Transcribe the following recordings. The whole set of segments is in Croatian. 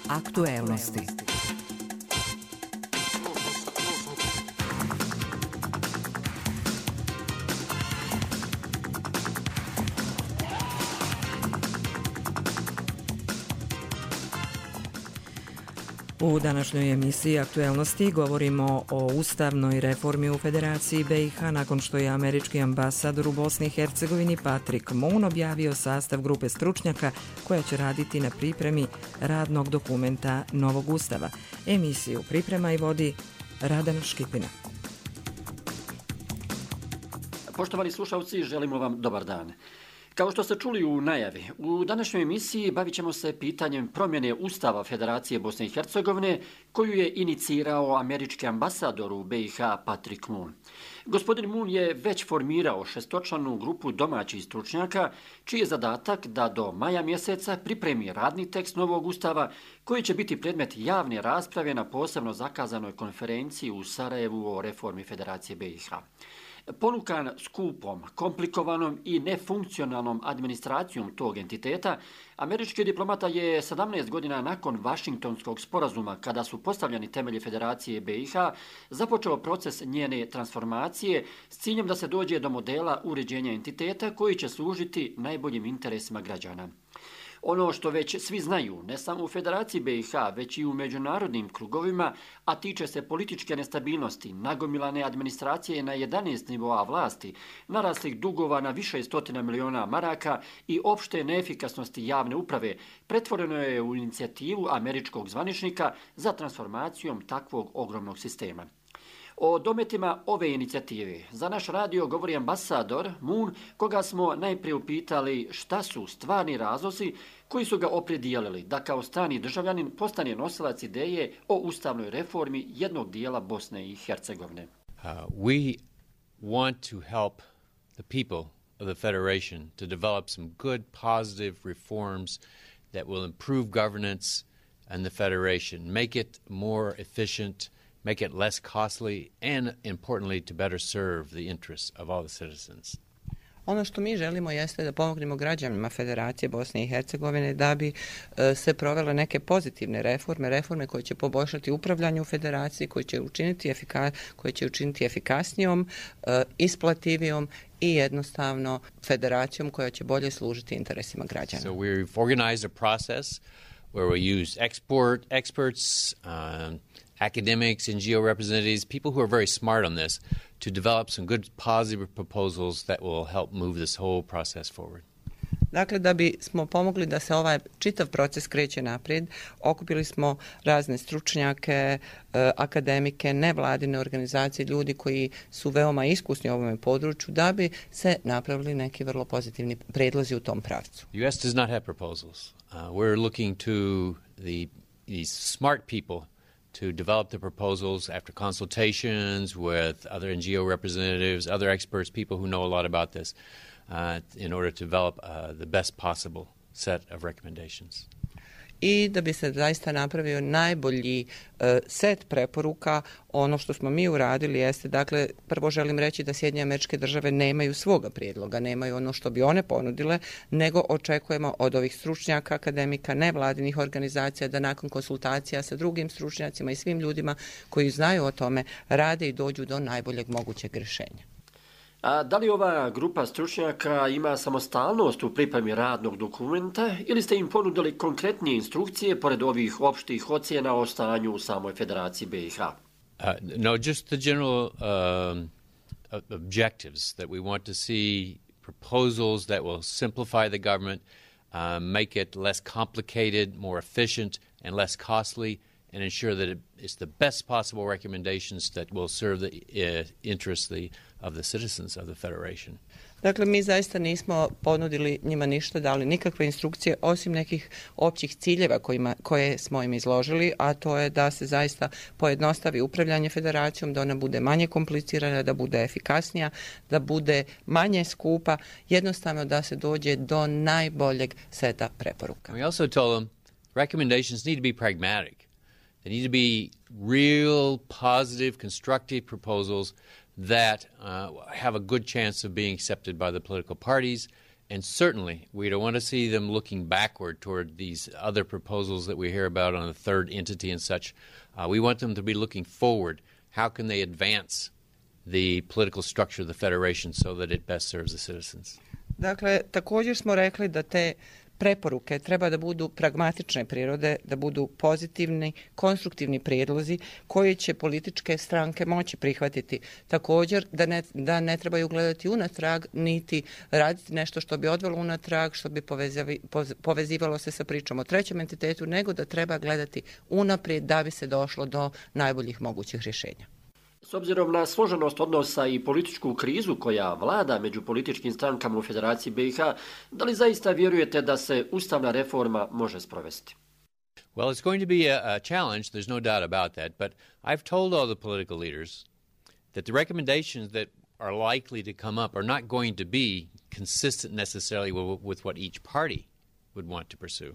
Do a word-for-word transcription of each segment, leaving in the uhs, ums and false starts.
Aktuelnosti. U današnjoj emisiji Aktuelnosti govorimo o ustavnoj reformi u Federaciji B i H nakon što je američki ambasador u Bosni i Hercegovini Patrick Moon objavio sastav grupe stručnjaka koja će raditi na pripremi radnog dokumenta novog ustava. Emisiju priprema i vodi Radan Škipina. Poštovani slušalci, želimo vam dobar dan. Kao što ste čuli u najavi, u današnjoj emisiji bavit ćemo se pitanjem promjene Ustava Federacije Bosne i Hercegovine koju je inicirao američki ambasador u B i H Patrick Moon. Gospodin Moon je već formirao šestočlanu grupu domaćih stručnjaka čiji je zadatak da do maja mjeseca pripremi radni tekst novog Ustava koji će biti predmet javne rasprave na posebno zakazanoj konferenciji u Sarajevu o reformi Federacije B i H. Ponukan skupom, komplikovanom i nefunkcionalnom administracijom tog entiteta, američki diplomata je sedamnaest godina nakon Vašingtonskog sporazuma, kada su postavljeni temelji Federacije B i H, započeo proces njene transformacije s ciljem da se dođe do modela uređenja entiteta koji će služiti najboljim interesima građana. Ono što već svi znaju, ne samo u Federaciji B i H, već i u međunarodnim krugovima, a tiče se političke nestabilnosti, nagomilane administracije na jedanaest nivoa vlasti, naraslih dugova na više stotina miliona maraka i opšte neefikasnosti javne uprave, pretvoreno je u inicijativu američkog zvaničnika za transformacijom takvog ogromnog sistema. O dometima ove inicijative za naš radio govori ambasador Moon, koga smo najprije upitali šta su stvarni razlozi koji su ga opredijelili da kao strani državljanin postane nosilac ideje o ustavnoj reformi jednog dijela Bosne i Hercegovine. Uh, we want to help the people of the Federation to develop some good, positive reforms that will improve governance and the Federation, make it more efficient, make it less costly, and importantly, to better serve the interests of all the citizens. Ono što mi želimo jeste da pomognemo građanima Federacije Bosne i Hercegovine da bi e, se provele neke pozitivne reforme, reforme koje će poboljšati upravljanje u Federaciji, koje će učiniti, efika, koje će učiniti efikasnijom, e, isplativijom i jednostavno federacijom koja će bolje služiti interesima građana. So we've organized a process where we use export experts, um, academics, N G O representatives, people who are very smart on this, to develop some good positive proposals that will help move this whole process forward. Dakle, da bi smo pomogli da se ovaj čitav proces kreće naprijed, okupili smo razne stručnjake, akademike, nevladine organizacije, ljudi koji su veoma iskusni u ovom području, da bi se napravili neki vrlo pozitivni predlozi u tom pravcu. U S does not have proposals. Uh, we're looking to the these smart people to develop the proposals after consultations with other N G O representatives, other experts, people who know a lot about this, uh, in order to develop uh, the best possible set of recommendations. I da bi se zaista napravio najbolji uh, set preporuka. Ono što smo mi uradili jeste, dakle, prvo želim reći da Sjedinjene Američke Države nemaju svoga prijedloga, nemaju ono što bi one ponudile, nego očekujemo od ovih stručnjaka, akademika, nevladinih organizacija da nakon konsultacija sa drugim stručnjacima i svim ljudima koji znaju o tome rade i dođu do najboljeg mogućeg rješenja. A da li ova grupa stručnjaka ima samostalnost u pripremi radnog dokumenta ili ste im ponudili konkretnije instrukcije pored ovih opštih ocjena o stanju u samoj Federaciji B i H? Uh, no, just the general um, objectives that we want to see proposals that will simplify the government, uh, make it less complicated, more efficient, and less costly, and ensure that it is the best possible recommendations that will serve the uh, interests the, of the citizens of the Federation. Dakle, mi zaista nismo ponudili njima ništa, dali nikakve instrukcije, osim nekih općih ciljeva kojima, koje smo im izložili, a to je da se zaista pojednostavi upravljanje federacijom, da ona bude manje komplicirana, da bude efikasnija, da bude manje skupa, jednostavno da se dođe do najboljeg seta preporuka. We also told them recommendations need to be pragmatic. They need to be real, positive, constructive proposals that uh, have a good chance of being accepted by the political parties and certainly we don't want to see them looking backward toward these other proposals that we hear about on the third entity and such. Uh, we want them to be looking forward. How can they advance the political structure of the Federation so that it best serves the citizens? Dakle, također smo rekli da te preporuke treba da budu pragmatične prirode, da budu pozitivni, konstruktivni prijedlozi koji će političke stranke moći prihvatiti. Također da ne, da ne trebaju gledati unatrag, niti raditi nešto što bi odvelo unatrag, što bi povezavi, povezivalo se sa pričom o trećem entitetu, nego da treba gledati unaprijed da bi se došlo do najboljih mogućih rješenja. S obzirom na složenost odnosa i političku krizu koja vlada među političkim strankama u Federaciji B i H, da li zaista vjerujete da se ustavna reforma može sprovesti? Well, it's going to be a, a challenge, there's no doubt about that, but I've told all the political leaders that the recommendations that are likely to come up are not going to be consistent necessarily with, with what each party would want to pursue.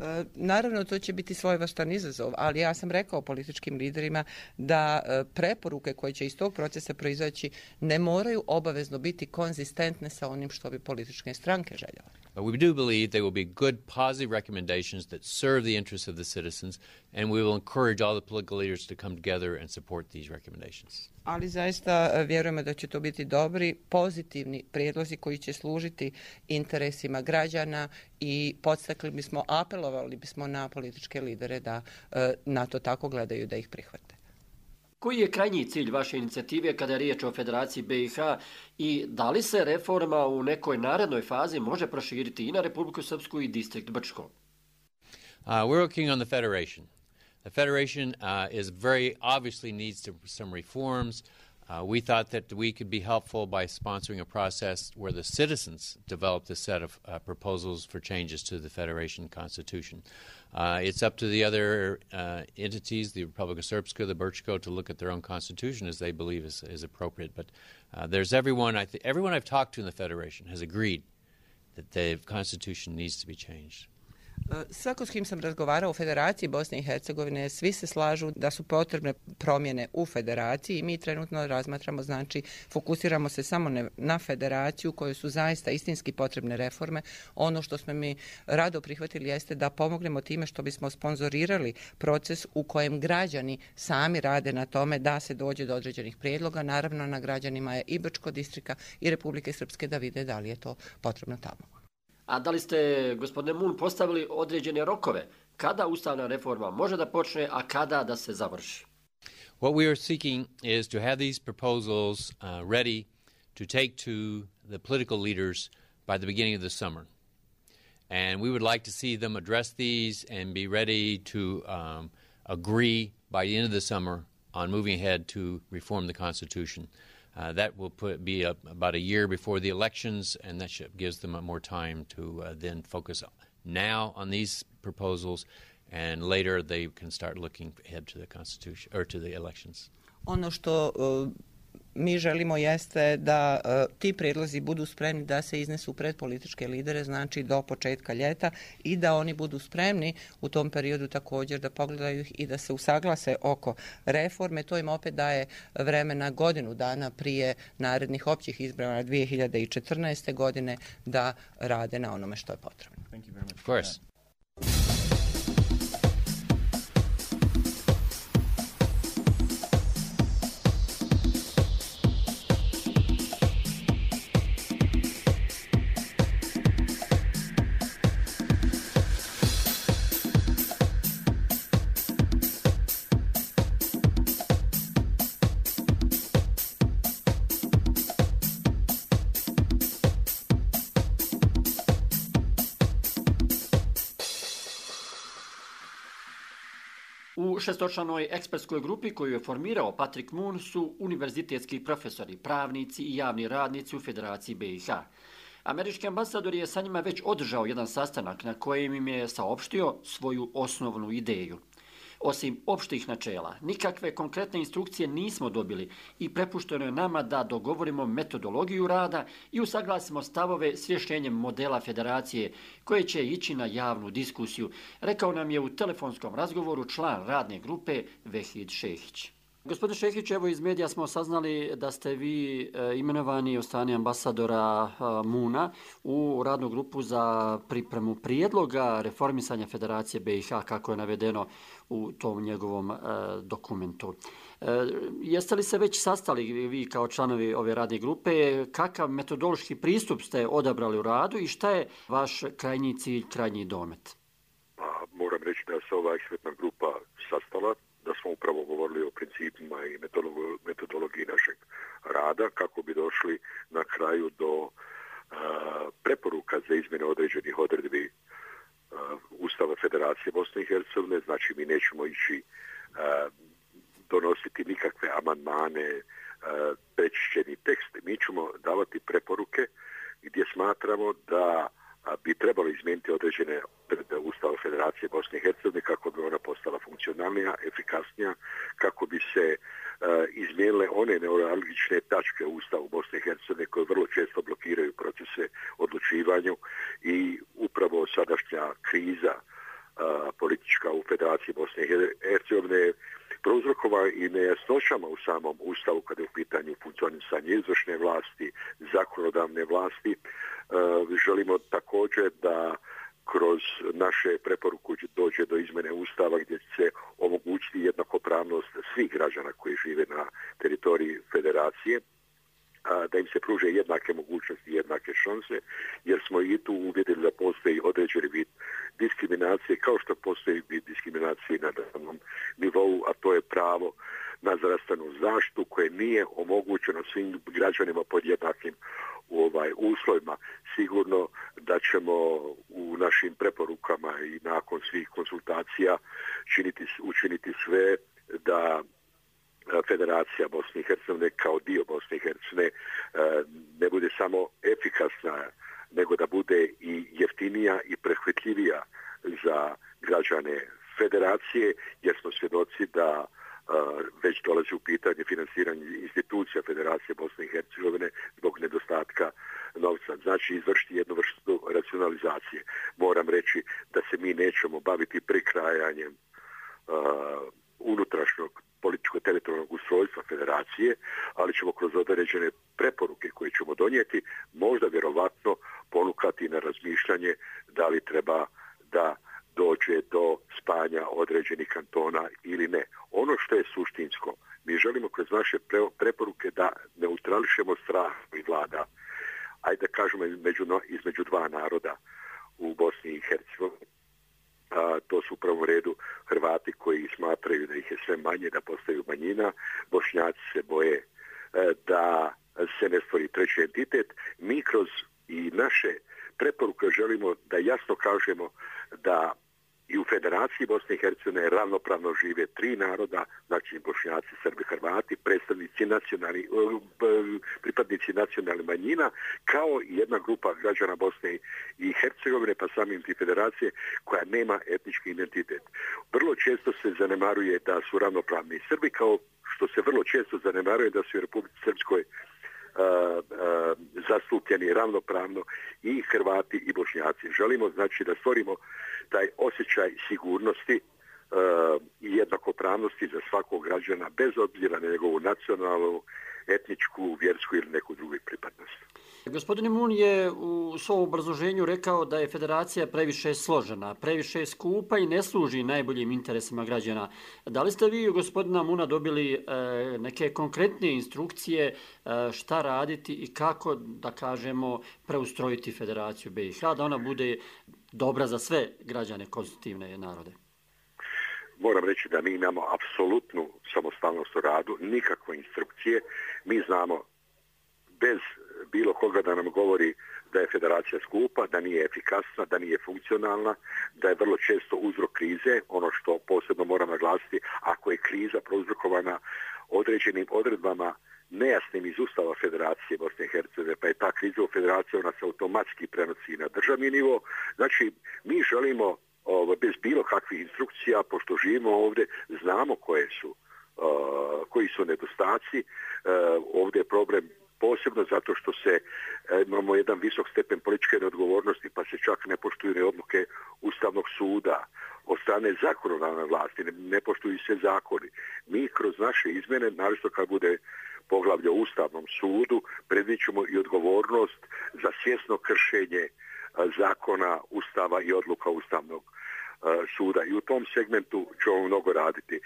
E, naravno, to će biti svojevrstan izazov, ali ja sam rekao političkim liderima da e, preporuke koje će iz tog procesa proizaći ne moraju obavezno biti konzistentne sa onim što bi političke stranke željele. But we do believe they will be good, positive recommendations that serve the interests of the citizens, and we will encourage all the political leaders to come together and support these recommendations. Ali zaista vjerujemo da će to biti dobri, pozitivni prijedlozi koji će služiti interesima građana i podstakli bismo, apelovali bismo na političke lidere da na to tako gledaju, da ih prihvate. Koji je krajnji cilj vaše inicijative kada je riječ o Federaciji B i H i da li se reforma u nekoj narednoj fazi može proširiti i na Republiku Srpsku i distrikt Brčko? Uh, we're working on the Federation. The Federation uh, is very obviously needs to, some reforms. Uh, we thought that we could be helpful by sponsoring a process where the citizens developed a set of uh, proposals for changes to the Federation Constitution. Uh, it's up to the other uh, entities, the Republika Srpska, the Brčko, to look at their own constitution as they believe is, is appropriate. But uh, there's everyone, I th- everyone I've talked to in the Federation has agreed that the constitution needs to be changed. Svako s kim sam razgovarao u Federaciji Bosne i Hercegovine, svi se slažu da su potrebne promjene u Federaciji i mi trenutno razmatramo, znači fokusiramo se samo na Federaciju kojoj su zaista istinski potrebne reforme. Ono što smo mi rado prihvatili jeste da pomognemo time što bismo sponzorirali proces u kojem građani sami rade na tome da se dođe do određenih prijedloga. Naravno, na građanima je i Brčko distrika i Republike Srpske da vide da li je to potrebno tamo. A da li ste, gospodine Mun, postavili određene rokove? Kada ustavna reforma može da počne, a kada da se završi? What we are seeking is to have these proposals uh, ready to take to the political leaders by the beginning of the summer. And we would like to see them address these and be ready to um, agree by the end of the summer on moving ahead to reform the Constitution. Uh, that will put, be a, about a year before the elections, and that should, gives them a more time to uh, then focus now on these proposals, and later they can start looking ahead to the Constitution or to the elections. Ono što uh, mi želimo jeste da uh, ti prijedlozi budu spremni da se iznesu pred političke lidere, znači do početka ljeta, i da oni budu spremni u tom periodu također da pogledaju ih i da se usaglase oko reforme. To im opet daje vremena godinu dana prije narednih općih izbora dvije hiljade četrnaeste. godine da rade na onome što je potrebno. Thank you very much. Of course. U šestočlanoj ekspertskoj grupi koju je formirao Patrick Moon su univerzitetski profesori, pravnici i javni radnici u Federaciji B i H. Američki ambasador je sa njima već održao jedan sastanak na kojem im je saopštio svoju osnovnu ideju. Osim opštih načela, nikakve konkretne instrukcije nismo dobili i prepušteno je nama da dogovorimo metodologiju rada i usaglasimo stavove s rješenjem modela federacije koje će ići na javnu diskusiju, rekao nam je u telefonskom razgovoru član radne grupe Vehid Šehić. Gospodine Šehić, evo iz medija smo saznali da ste vi e, imenovani od strane ambasadora e, Moona u radnu grupu za pripremu prijedloga reformisanja Federacije B i H, kako je navedeno u tom njegovom e, dokumentu. E, jeste li se već sastali vi kao članovi ove radne grupe? Kakav metodološki pristup ste odabrali u radu i šta je vaš krajnji cilj, krajnji domet? Pa, moram reći da se ova ekspertna grupa sastala, da smo upravo govorili o principima i metodologiji našeg rada kako bi došli na kraju do a, preporuka za izmjene određenih odredbi a, Ustava Federacije Bosne i Hercegovine. Znači mi nećemo ići a, donositi nikakve amandmane, prečišćeni tekst. Mi ćemo davati preporuke gdje smatramo da bi trebalo izmijeniti određene odredbe Ustava Federacije Bosne i Hercegovine kako bi ona postala funkcionalnija, efikasnija, kako bi se uh, izmijenile one neuralgične tačke u Ustavu Bosne i Hercegovine koje vrlo često blokiraju procese odlučivanju i upravo sadašnja kriza uh, politička u Federaciji Bosne i Hercegovine prouzrokova i nejasnoćama u samom Ustavu kada je u pitanju funkcionisanje izvršne vlasti, zakonodavne vlasti. Uh, želimo također da kroz naše preporuku dođe do izmjene Ustava gdje će se omogućiti jednakopravnost svih građana koji žive na teritoriji Federacije, a, da im se pruže jednake mogućnosti i jednake šanse, jer smo i tu uvidjeli da postoji određeni vid diskriminacije, kao što postoji vid diskriminacije na državnom nivou, a to je pravo na zdravstvenu zaštitu koje nije omogućeno svim građanima pod jednakim u ovaj uslovima. Sigurno da ćemo u našim preporukama i nakon svih konsultacija činiti, učiniti sve da Federacija Bosne i Hercegovine kao dio Bosne i Hercegovine ne bude samo efikasna, nego da bude i jeftinija i prihvatljivija za građane Federacije, jer smo svjedoci da već dolazi u pitanje finansiranje institucija Federacije Bosne i Hercegovine zbog nedostatka novca. Znači izvršiti jednu vrstu racionalizacije. Moram reći da se mi nećemo baviti prikrajanjem uh, unutrašnjog političko-teritorijalnog ustrojstva Federacije, ali ćemo kroz određene preporuke koje ćemo donijeti možda vjerovatno ponukati na razmišljanje da li treba da dođe do spajanja određenih kantona ili ne. Ono što je suštinsko, mi želimo kroz naše preporuke da neutrališemo strah i vlada, ajde da kažemo između, između dva naroda u Bosni i Hercegovini. A, to su u prvom redu Hrvati koji smatraju da ih je sve manje, da postaju manjina. Bošnjaci se boje e, da se ne stvori treći entitet. Mi kroz i naše preporuke želimo da jasno kažemo da i u Federaciji Bosne i Hercegovine ravnopravno žive tri naroda, znači Bošnjaci, Srbi, Hrvati, predstavnici nacionalni, pripadnici nacionalnih manjina, kao i jedna grupa građana Bosne i Hercegovine, pa samim ti Federacije, koja nema etnički identitet. Vrlo često se zanemaruje da su ravnopravni Srbi, kao što se vrlo često zanemaruje da su u Republici Srpskoj Uh, uh, zastupljeni ravnopravno i Hrvati i Bošnjaci. Želimo znači da stvorimo taj osjećaj sigurnosti uh, i jednakopravnosti za svakog građana bez obzira na njegovu nacionalnu, etničku, vjersku ili neku drugu pripadnost. Gospodin Moon je u svom obrazloženju rekao da je federacija previše složena, previše skupa i ne služi najboljim interesima građana. Da li ste vi, gospodina Moona, dobili e, neke konkretne instrukcije e, šta raditi i kako, da kažemo, preustrojiti Federaciju B i H, da ona bude dobra za sve građane konstitutivne narode? Moram reći da mi imamo apsolutnu samostalnost u radu, nikakve instrukcije. Mi znamo bez bilo koga da nam govori da je federacija skupa, da nije efikasna, da nije funkcionalna, da je vrlo često uzrok krize. Ono što posebno moram naglasiti, ako je kriza prouzrokovana određenim odredbama nejasnim iz Ustava Federacije Bosne i Hercegovine, pa je ta kriza u federaciji, ona se automatski prenosi na državni nivo. Znači, mi želimo ovo, bez bilo kakvih instrukcija, pošto živimo ovdje, znamo koje su, uh, koji su nedostaci. Uh, ovdje je problem posebno zato što se uh, imamo jedan visok stepen političke neodgovornosti, pa se čak ne poštuju odluke Ustavnog suda. od strane zakonodavne vlasti, ne, ne poštuju se zakoni. Mi kroz naše izmjene, naročito kad bude poglavlje o Ustavnom sudu, predviđamo i odgovornost za svjesno kršenje zakona, Ustava i odluka Ustavnog suda. I u tom segmentu ćemo mnogo raditi.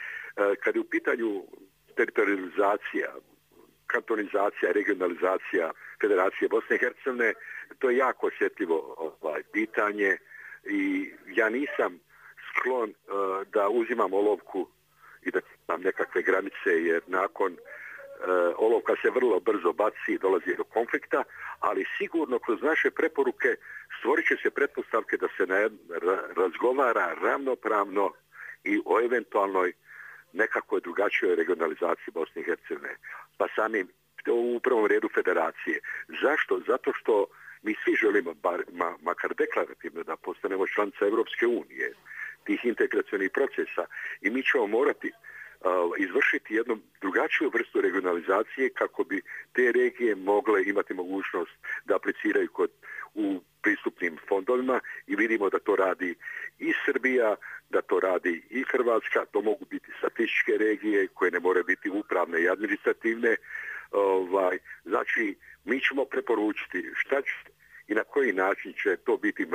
Kad je u pitanju teritorializacija, kantonizacija, regionalizacija Federacije Bosne i Hercegovine, to je jako osjetljivo ovaj, pitanje i ja nisam sklon uh, da uzimam olovku i da imam nekakve granice, jer nakon uh, olovka se vrlo brzo baci i dolazi do konflikta, ali sigurno kroz naše preporuke stvorit će se pretpostavke da se na, ra, razgovara ravnopravno i o eventualnoj nekakvoj drugačijoj regionalizaciji Bosne i Hercegovine. Pa samim u prvom redu federacije. Zašto? Zato što mi svi želimo, bar, ma, makar deklarativno, da postanemo članica Europske unije, tih integracionih procesa, i mi ćemo morati uh, izvršiti jednu drugačiju vrstu regionalizacije kako bi te regije mogle imati mogućnost da apliciraju kod, u pristupnim fondovima, i vidimo da to radi i Srbija, da to radi i Hrvatska. To mogu biti statističke regije koje ne moraju biti upravne i administrativne. Ovaj, znači, mi ćemo preporučiti šta će i na koji način će to biti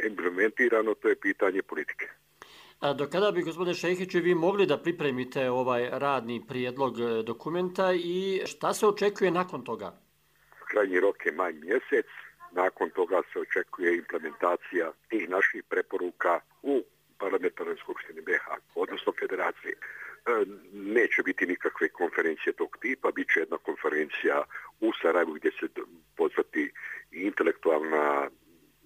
implementirano, to je pitanje politike. A do kada bi, gospodine Šejhiću, vi mogli da pripremite ovaj radni prijedlog dokumenta i šta se očekuje nakon toga? Krajnji rok je maj mjesec, nakon toga se očekuje implementacija tih naših preporuka u Parlamentarnoj skupštini B iH, odnosno Federacije. Neće biti nikakve konferencije tog tipa, bit će jedna konferencija u Sarajevu gdje se pozvati intelektualna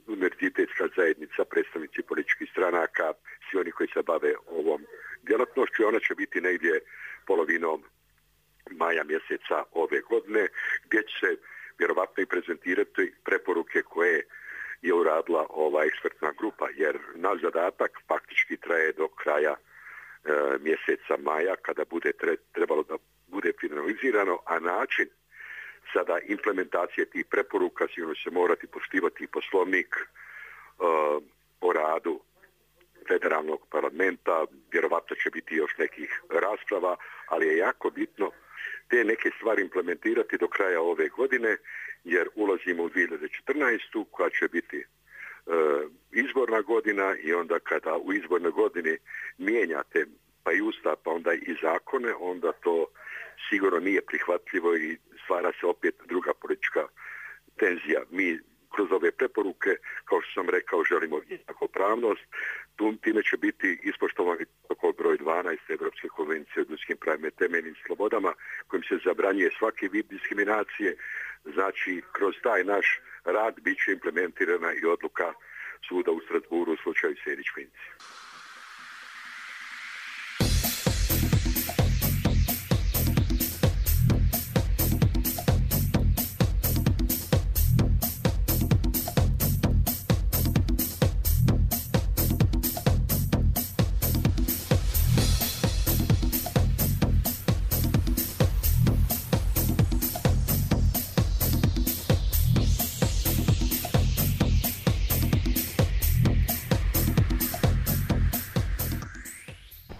univerzitetska zajednica, predstavnici političkih stranaka, svi oni koji se bave ovom djelatnošću. Ona će biti negdje polovinom maja mjeseca ove godine, gdje će se vjerovatno i prezentirati preporuke koje je uradila ova ekspertna grupa, jer naš zadatak faktički traje do kraja e, mjeseca maja, kada bude tre, trebalo da bude finalizirano, a način sada implementacije tih preporuka sigurno će morati poštivati i poslovnik e, o radu federalnog parlamenta, vjerovatno će biti još nekih rasprava, ali je jako bitno te neke stvari implementirati do kraja ove godine, jer ulazimo u dvije hiljade četrnaestu koja će biti e, izborna godina, i onda kada u izbornoj godini mijenjate pa i ustav, pa onda i zakone, onda to sigurno nije prihvatljivo i stvara se opet druga politička tenzija. Mi kroz ove preporuke, kao što sam rekao, želimo jednakopravnost. Time će biti ispoštovani protokol broj dvanaest Evropske konvencije o ljudskim pravima i temeljnim slobodama, kojim se zabranjuje svaki vid diskriminacije. Znači, kroz taj naš rad bit će implementirana i odluka suda u Strasburu u slučaju Sejdić-Finci.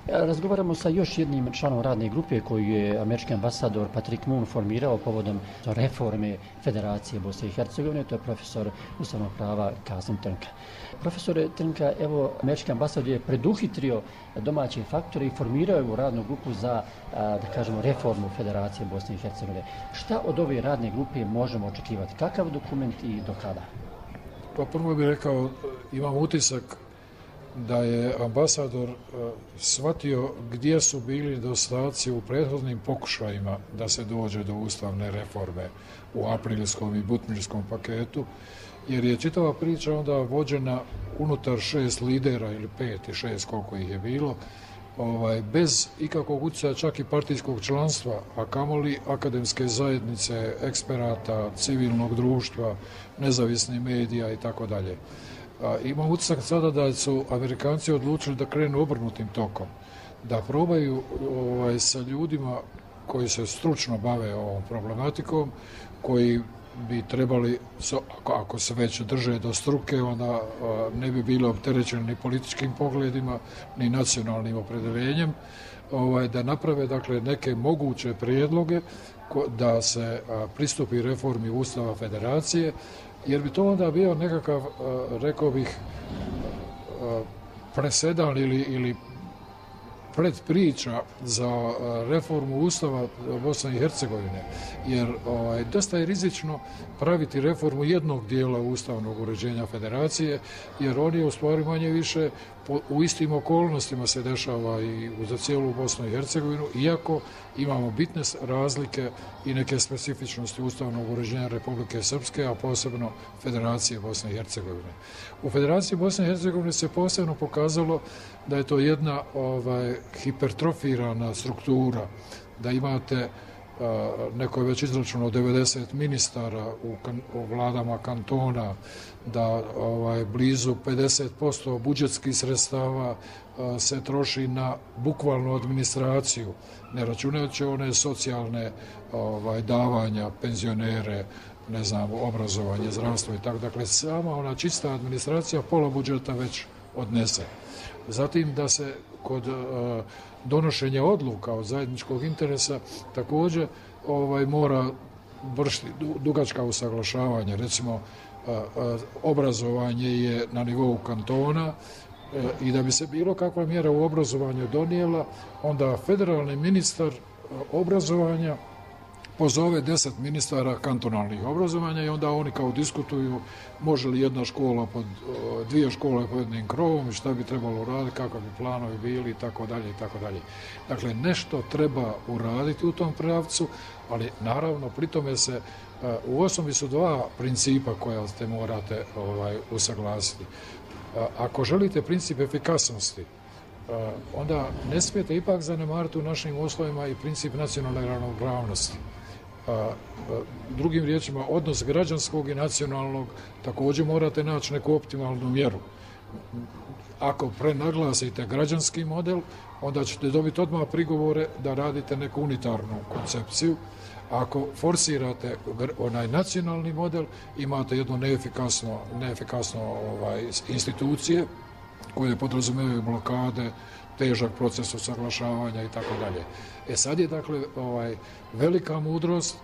Razgovaramo sa još jednim članom radne grupe koju je američki ambasador Patrick Moon formirao povodom reforme Federacije Bosne i Hercegovine, to je profesor ustavnog prava Kasim Trnka. Profesore Trnka, evo, američki ambasador je preduhitrio domaće faktore i formirao je radnu grupu za, da kažemo, reformu Federacije Bosne i Hercegovine. Šta od ove radne grupe možemo očekivati? Kakav dokument i do kada? Pa prvo bih rekao, imam utisak da je ambasador uh, shvatio gdje su bili nedostaci u prethodnim pokušajima da se dođe do ustavne reforme u aprilskom i butmirskom paketu, jer je čitava priča onda vođena unutar šest lidera ili pet i šest, koliko ih je bilo, ovaj, bez ikakvog utjecaja čak i partijskog članstva, a kamoli akademske zajednice, eksperata, civilnog društva, nezavisnih medija i tako dalje. Imam utisak sada da su Amerikanci odlučili da krenu obrnutim tokom, da probaju ovaj, sa ljudima koji se stručno bave ovom problematikom, koji bi trebali, ako se već drže do struke, onda ne bi bilo opterećeni ni političkim pogledima, ni nacionalnim opredeljenjem, ovaj, da naprave dakle, neke moguće prijedloge da se pristupi reformi Ustava Federacije, jer bi to onda bio nekakav, rekao bih, presedan ili, ili predpriča za reformu Ustava Bosne i Hercegovine, jer ovaj, dosta je rizično praviti reformu jednog dijela ustavnog uređenja federacije, jer on je u stvari manje više po, u istim okolnostima se dešava i za cijelu Bosnu i Hercegovinu, iako imamo bitne razlike i neke specifičnosti ustavnog uređenja Republike Srpske, a posebno Federacije Bosne i Hercegovine. U Federaciji Bosne i Hercegovine se posebno pokazalo da je to jedna ovaj, hipertrofirana struktura, da imate, a, neko je već izračunao devedeset ministara u, kan, u vladama kantona, da ovaj, blizu pedeset posto budžetskih sredstava a, se troši na bukvalnu administraciju, ne računajući one socijalne ovaj, davanja, penzionere, ne znam, obrazovanje, zdravstvo i tako. Dakle, sama ona čista administracija pola budžeta već odnese. Zatim da se kod uh, donošenja odluka od zajedničkog interesa također ovaj, mora vršiti dugačka usaglašavanja. Recimo, uh, uh, obrazovanje je na nivou kantona uh, i da bi se bilo kakva mjera u obrazovanju donijela, onda federalni ministar uh, obrazovanja pozove deset ministara kantonalnih obrazovanja i onda oni kao diskutuju može li jedna škola pod dvije škole pod jednim krovom i šta bi trebalo uraditi, kako bi planovi bili i tako dalje i tako dalje. Dakle, nešto treba uraditi u tom pravcu, ali naravno pri tome se u osnovi su dva principa koja ste morate ovaj, usaglasiti. Ako želite princip efikasnosti, onda ne smijete ipak zanemariti u našim uslovima i princip nacionalne ravnopravnosti. Drugim riječima, odnos građanskog i nacionalnog također morate naći neku optimalnu mjeru. Ako prenaglasite građanski model, onda ćete dobiti odmah prigovore da radite neku unitarnu koncepciju. Ako forsirate onaj nacionalni model, imate jedno neefikasno, neefikasno ovaj, institucije koje podrazumijevaju blokade, težak proces usaglašavanja i tako dalje. E sad je dakle ovaj, velika mudrost,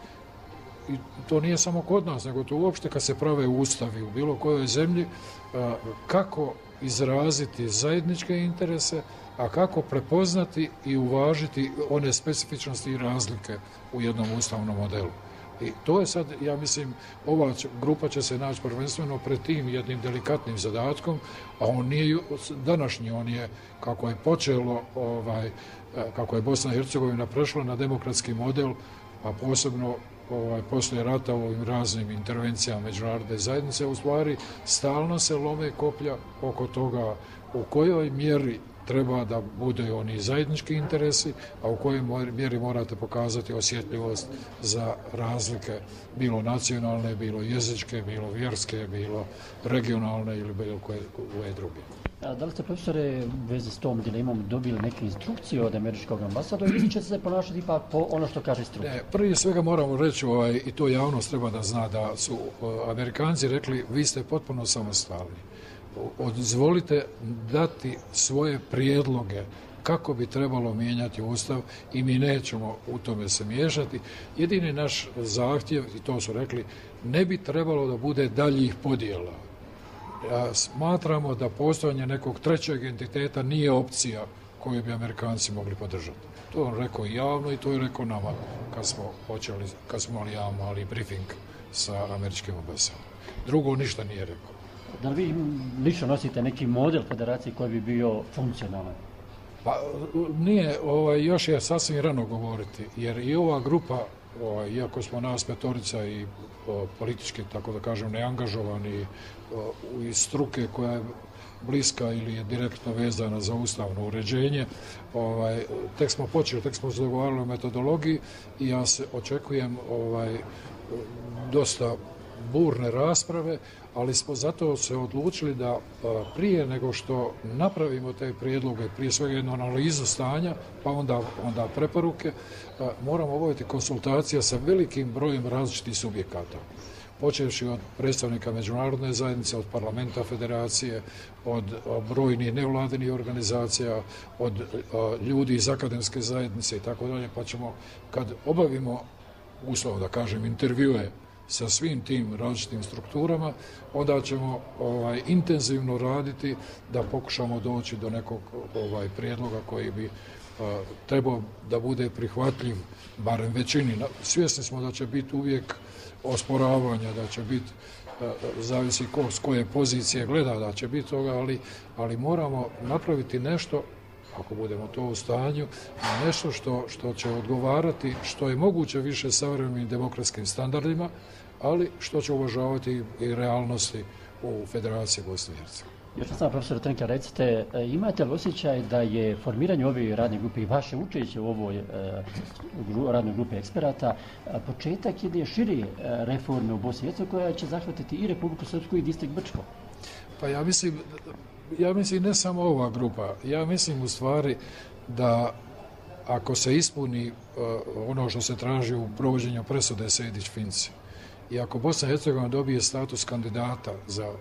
i to nije samo kod nas, nego to uopšte kad se prave ustavi u bilo kojoj zemlji, a, kako izraziti zajedničke interese, a kako prepoznati i uvažiti one specifičnosti i razlike u jednom ustavnom modelu. I to je sad, ja mislim, ova grupa će se naći prvenstveno pred tim jednim delikatnim zadatkom, a on nije današnji, on je, kako je počelo, ovaj, kako je Bosna i Hercegovina prešla na demokratski model, a posebno ovaj, poslije rata u ovim raznim intervencijama međunarodne zajednice, u stvari stalno se lome koplja oko toga u kojoj mjeri treba da bude oni zajednički interesi, a u kojoj mjeri morate pokazati osjetljivost za razlike, bilo nacionalne, bilo jezičke, bilo vjerske, bilo regionalne ili bilo koje, koje druge. A da li ste, profesore, u vezi s tom dilemom dobili neke instrukcije od američkog ambasadora ili ćete se ponašati ipak po ono što kaže struka? Ne, prije svega moramo reći, ovaj, i to javnost treba da zna, da su uh, Amerikanci rekli vi ste potpuno samostalni. Odzvolite dati svoje prijedloge kako bi trebalo mijenjati Ustav i mi nećemo u tome se miješati. Jedini naš zahtjev, i to su rekli, ne bi trebalo da bude daljih podjela. Ja, smatramo da postojanje nekog trećeg entiteta nije opcija koju bi Amerikanci mogli podržati. To je on rekao javno i to je rekao nama kad smo počeli, kad smo imali jedan mali briefing sa američkim ambasadom. Drugo ništa nije rekao. Da li vi lično nosite neki model federacije koji bi bio funkcionalan? Pa nije, ovaj, još je sasvim rano govoriti, jer i ova grupa, ovaj, iako smo nas petorica i o, politički, tako da kažem, neangažovani o, iz struke koja je bliska ili je direktno vezana za ustavno uređenje, ovaj, tek smo počeli, tek smo se dogovarali o metodologiji i ja se očekujem ovaj, dosta burne rasprave, ali smo zato se odlučili da prije nego što napravimo te prijedloge, prije svega jednu analizu stanja, pa onda, onda preporuke, moramo obaviti konsultacija sa velikim brojem različitih subjekata. počevši od predstavnika međunarodne zajednice, od parlamenta federacije, od brojnih nevladinih organizacija, od ljudi iz akademske zajednice i tako dalje, pa ćemo, kad obavimo, uslovno da kažem, intervjue sa svim tim različitim strukturama, onda ćemo ovaj, intenzivno raditi da pokušamo doći do nekog ovaj, prijedloga koji bi a, trebao da bude prihvatljiv, barem većini. Svjesni smo da će biti uvijek osporavanja, da će biti, a, zavisi ko s koje pozicije gleda, da će biti toga, ali, ali moramo napraviti nešto, ako budemo to u stanju, nešto što, što će odgovarati što je moguće više savremenim demokratskim standardima, ali što će uvažavati i realnosti u Federaciji Bosne i Hercegovine. Još sam profesor Trnka, recite, imate li osjećaj da je formiranje ove radne grupe i vaše učešće u ovoj e, radnoj grupi eksperata početak jedne šire reforme u Bosni i Hercegovini koja će zahvatiti i Republiku Srpsku i distrikt Brčko? Pa ja mislim, ja mislim ne samo ova grupa, ja mislim u stvari da ako se ispuni uh, ono što se traži u provođenju presude Sejdić-Finci i ako Bosna i Hercegovina dobije status kandidata za uh,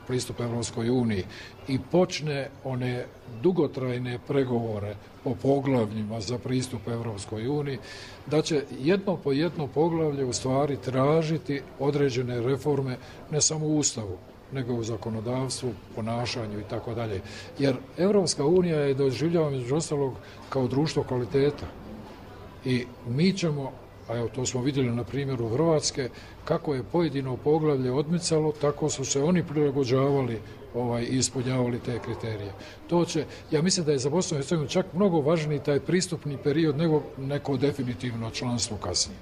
pristup Evropskoj uniji i počne one dugotrajne pregovore po poglavljima za pristup Evropskoj uniji, da će jedno po jedno poglavlje u stvari tražiti određene reforme ne samo u Ustavu, nego u zakonodavstvu, ponašanju i tako dalje. Jer Evropska unija je doživljava među ostalog kao društvo kvaliteta. I mi ćemo, a evo to smo vidjeli na primjeru Hrvatske, kako je pojedino poglavlje odmicalo, tako su se oni prilagođavali ovaj, i ispunjavali te kriterije. To će, ja mislim da je za Bosnu i Hercegovinu čak mnogo važniji taj pristupni period nego neko definitivno članstvo kasnije.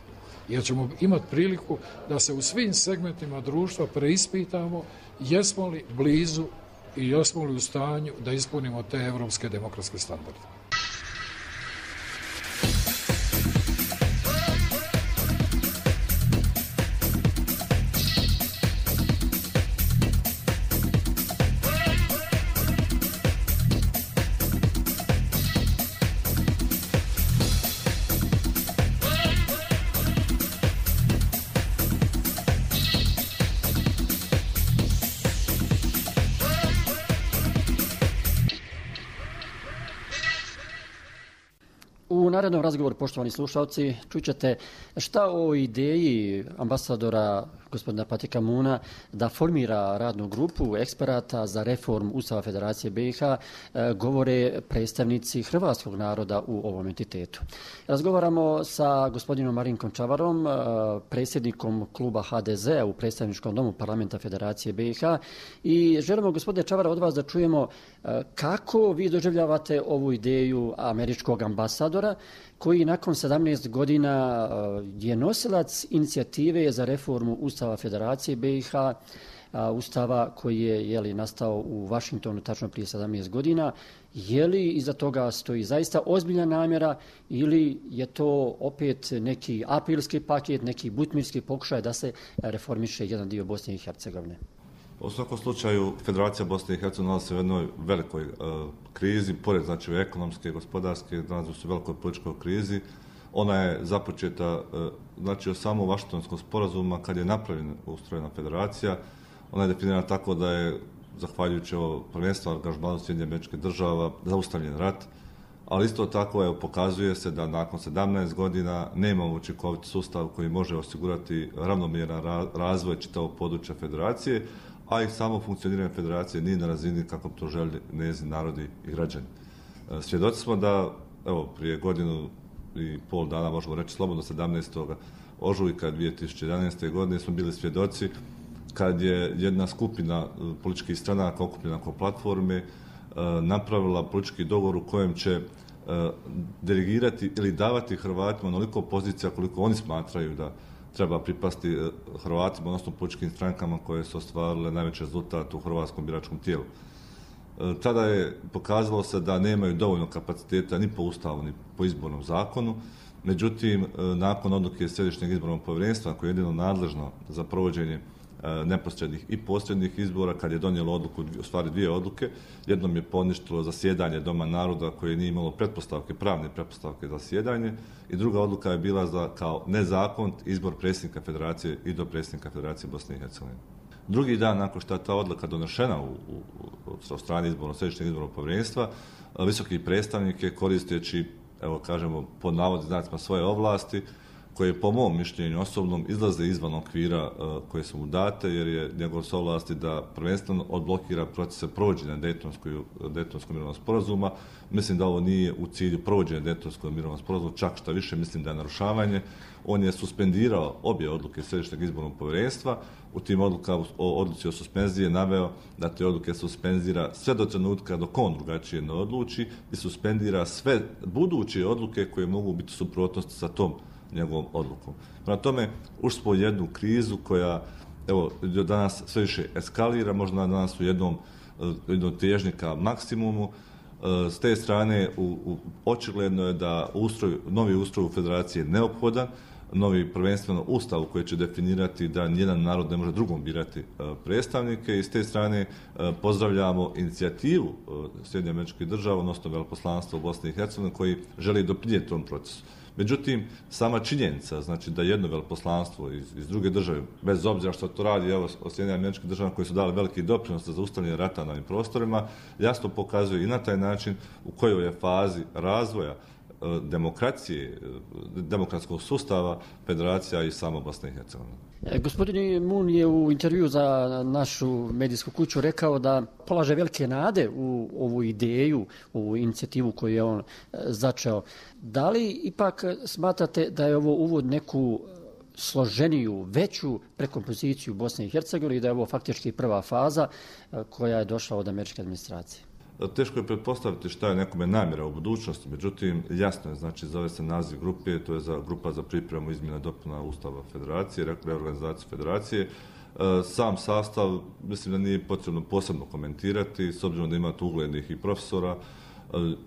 Jer ćemo imati priliku da se u svim segmentima društva preispitamo jesmo li blizu i jesmo li u stanju da ispunimo te evropske demokratske standarde. U narednom razgovoru, poštovani slušalci, čućete šta o ideji ambasadora gospodina Patrika Moona da formira radnu grupu eksperata za reformu Ustava Federacije B i H govore predstavnici hrvatskog naroda u ovom entitetu. Razgovaramo sa gospodinom Marinkom Čavarom, predsjednikom kluba H D Z u predstavničkom domu parlamenta Federacije B i H i želimo, gospodine Čavara, od vas da čujemo kako vi doživljavate ovu ideju američkog ambasadora koji nakon sedamnaest godina je nosilac inicijative za reformu Ustava Federacije B i H, Ustava koji je, je li, nastao u Vašingtonu tačno prije sedamnaest godina. Je li iza toga stoji zaista ozbiljna namjera ili je to opet neki aprilski paket, neki butmirski pokušaj da se reformiše jedan dio Bosne i Hercegovine? U svakom slučaju, Federacija Bosne i Hercegovine nalazi se u jednoj velikoj uh, krizi, pored znači ekonomske, gospodarske, nalazi se u velikoj političkoj krizi. Ona je započeta uh, znači od samog Vašingtonskog sporazuma kad je napravljena ustrojena federacija. Ona je definirana tako da je, zahvaljujući ovo prvenstvo angažmanu Sjedinjenih Američkih Država, zaustavljen rat, ali isto tako je, pokazuje se da nakon sedamnaest godina nema učinkovit sustav koji može osigurati ravnomjeran razvoj čitavog područja federacije, a i samo funkcioniranje federacije nije na razini kako to želi njezini narodi i građani. Svjedoci smo da, evo, prije godinu i pol dana, možemo reći slobodno, sedamnaestog ožujka dvije tisuće jedanaeste. godine smo bili svjedoci kad je jedna skupina političkih stranaka okupljena oko platforme napravila politički dogovor u kojem će delegirati ili davati Hrvatima onoliko pozicija koliko oni smatraju da treba pripasti Hrvatima, odnosno političkim strankama koje su ostvarile najveći rezultat u hrvatskom biračkom tijelu. Tada je pokazalo se da nemaju dovoljno kapaciteta ni po Ustavu, ni po izbornom zakonu. Međutim, nakon odluke Središnjeg izbornog povjerenstva, koje je jedino nadležno za provođenje neposrednih i posrednih izbora, kad je donijelo odluku, u stvari dvije odluke. Jednom je poništilo zasjedanje Doma naroda koje nije imalo pretpostavke, pravne pretpostavke za zasjedanje, i druga odluka je bila za kao nezakonit izbor predsjednika federacije i do predsjednika Federacije Bosne i Hercegovine. Drugi dan nakon što je ta odluka donešena u, u, u strani izbornog, središnjeg izbornog povjerenstva, visoki predstavnik je, koristeći, evo kažemo, pod navodnim znacima svoje ovlasti, koje po mom mišljenju osobnom izlaze izvan okvira uh, koje su mu date, jer je njegov s ovlasti da prvenstveno odblokira procese provođenja Dejtonskog mirovnog sporazuma. Mislim da ovo nije u cilju provođenja Dejtonskog mirovnog sporazuma, čak šta više mislim da je narušavanje. On je suspendirao obje odluke Središnjeg izbornog povjerenstva. U tim odlukama o odluci o suspenziji je naveo da te odluke suspenzira sve do trenutka dok on drugačije ne odluči i suspendira sve buduće odluke koje mogu biti u suprotnosti sa tom njegovom odlukom. Prema tome, ušli smo u jednu krizu koja, evo, do danas sve više eskalira, možda danas u jednom, jednom težnji ka maksimumu. S te strane, u, u, očigledno je da ustroj, novi ustroj u federaciji je neophodan, novi prvenstveno ustav koji će definirati da nijedan narod ne može drugom birati predstavnike, i s te strane pozdravljamo inicijativu Sjedinjenih Američkih Država, odnosno veleposlanstva u Bosni i Hercegovini, koji želi doprinijeti tom procesu. Međutim, sama činjenica, znači da jedno veleposlanstvo iz, iz druge države, bez obzira što to radi, evo, od Sjedinjenih Američkih Država koji su dali veliki doprinos za zaustavljanje rata na ovim prostorima, jasno pokazuje i na taj način u kojoj je fazi razvoja demokracije, demokratskog sustava federacija i samo Bosne i Hercegovine. Gospodin Mun je u intervju za našu medijsku kuću rekao da polaže velike nade u ovu ideju, u inicijativu koju je on začeo. Da li ipak smatrate da je ovo uvod neku složeniju, veću prekompoziciju Bosne i Hercegovine i da je ovo faktički prva faza koja je došla od američke administracije? Teško je pretpostaviti šta je nekome namjera u budućnosti, međutim, jasno je, znači, zove se naziv grupe, to je za grupa za pripremu izmjena dopuna Ustava Federacije, reorganizaciju Federacije. Sam sastav, mislim da nije potrebno posebno komentirati, s obzirom da ima tu uglednih i profesora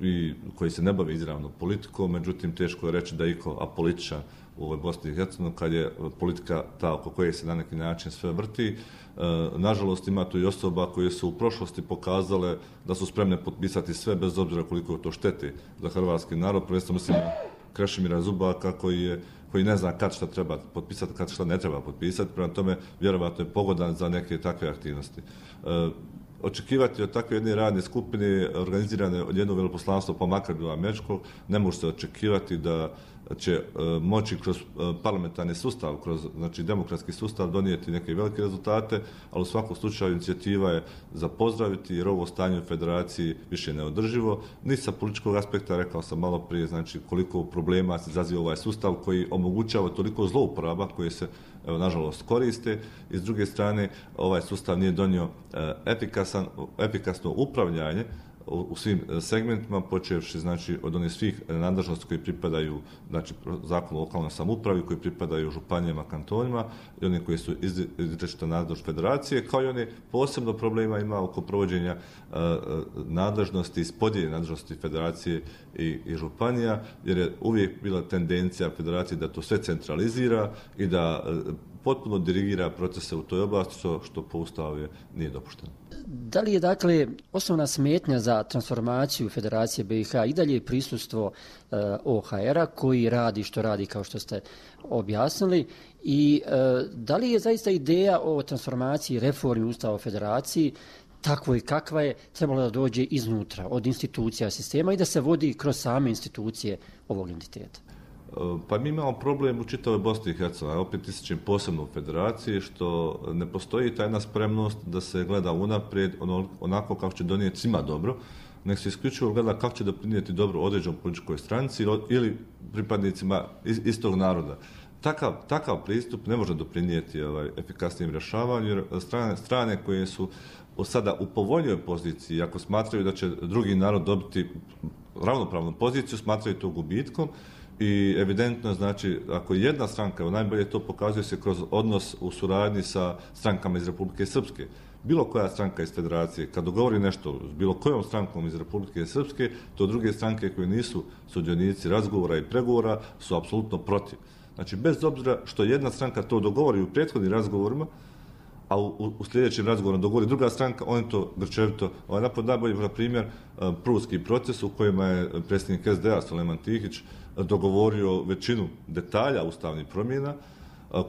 i koji se ne bave izravno politikom, međutim, teško je reći da je iko apolitičan u ovoj Bosni i Hercegovini, kad je politika ta oko koje se na neki način sve vrti. Nažalost, ima tu i osoba koje su u prošlosti pokazale da su spremne potpisati sve, bez obzira koliko to šteti za hrvatski narod. Prvenstveno mislim na Krešimira Zubaka koji, je, koji ne zna kad šta treba potpisati, kad šta ne treba potpisati. Prema tome, vjerovatno je pogodan za neke takve aktivnosti. Očekivati od takve jedne radne skupine organizirane od jednog veleposlanstva, pa makar do američkog, ne može se očekivati da će moći kroz parlamentarni sustav, kroz, znači, demokratski sustav donijeti neke velike rezultate, ali u svakom slučaju inicijativa je za pozdraviti, jer ovo stanje u federaciji više je neodrživo. Ni sa političkog aspekta, rekao sam malo prije, znači koliko problema se izaziva ovaj sustav koji omogućava toliko zlouporaba koje se, evo, nažalost, koriste, i s druge strane ovaj sustav nije donio efikasan, efikasno upravljanje u svim segmentima, počevši, znači, od onih svih nadležnosti koji pripadaju, znači, zakonu o lokalnoj samoupravi, koji pripadaju županijama, kantonima, i one koji su izričita nadležnost federacije, kao i one posebno problema ima oko provođenja uh, nadležnosti, ispodjelje nadležnosti federacije i, i županija, jer je uvijek bila tendencija federacije da to sve centralizira i da uh, potpuno dirigira procese u toj oblasti, što, što po ustavu je, nije dopušteno. Da li je, dakle, osnovna smetnja za transformaciju Federacije B i H i dalje prisustvo uh, O H R-a koji radi što radi, kao što ste objasnili, i uh, da li je zaista ideja o transformaciji, reformi Ustava o Federaciji takvo i kakva je, trebalo da dođe iznutra, od institucija sistema i da se vodi kroz same institucije ovog entiteta? Pa mi imamo problem u čitavoj Bosni i Hercegovini, opet ističem posebno u federaciji, što ne postoji tajna spremnost da se gleda unaprijed onako kako će donijeti svima dobro, nek se isključivo gleda kako će doprinijeti dobro određenoj političkoj stranci ili pripadnicima istog naroda. Takav, takav pristup ne može doprinijeti ovaj, efikasnijem rješavanju, jer strane, strane koje su sada u povoljnijoj poziciji, ako smatraju da će drugi narod dobiti ravnopravnu poziciju, smatraju to gubitkom. I evidentno, znači, ako jedna stranka, najbolje to pokazuje se kroz odnos u suradnji sa strankama iz Republike Srpske. Bilo koja stranka iz federacije, kad dogovori nešto s bilo kojom strankom iz Republike Srpske, to druge stranke koje nisu sudionici razgovora i pregovora su apsolutno protiv. Znači, bez obzira što jedna stranka to dogovori u prethodnim razgovorima, a u, u sljedećem razgovoru dogovori druga stranka, oni to grčevito ovaj napad. Najbolji primjer pruski proces u kojima je predsjednik es de a Sulejman Tihić dogovorio većinu detalja ustavnih promjena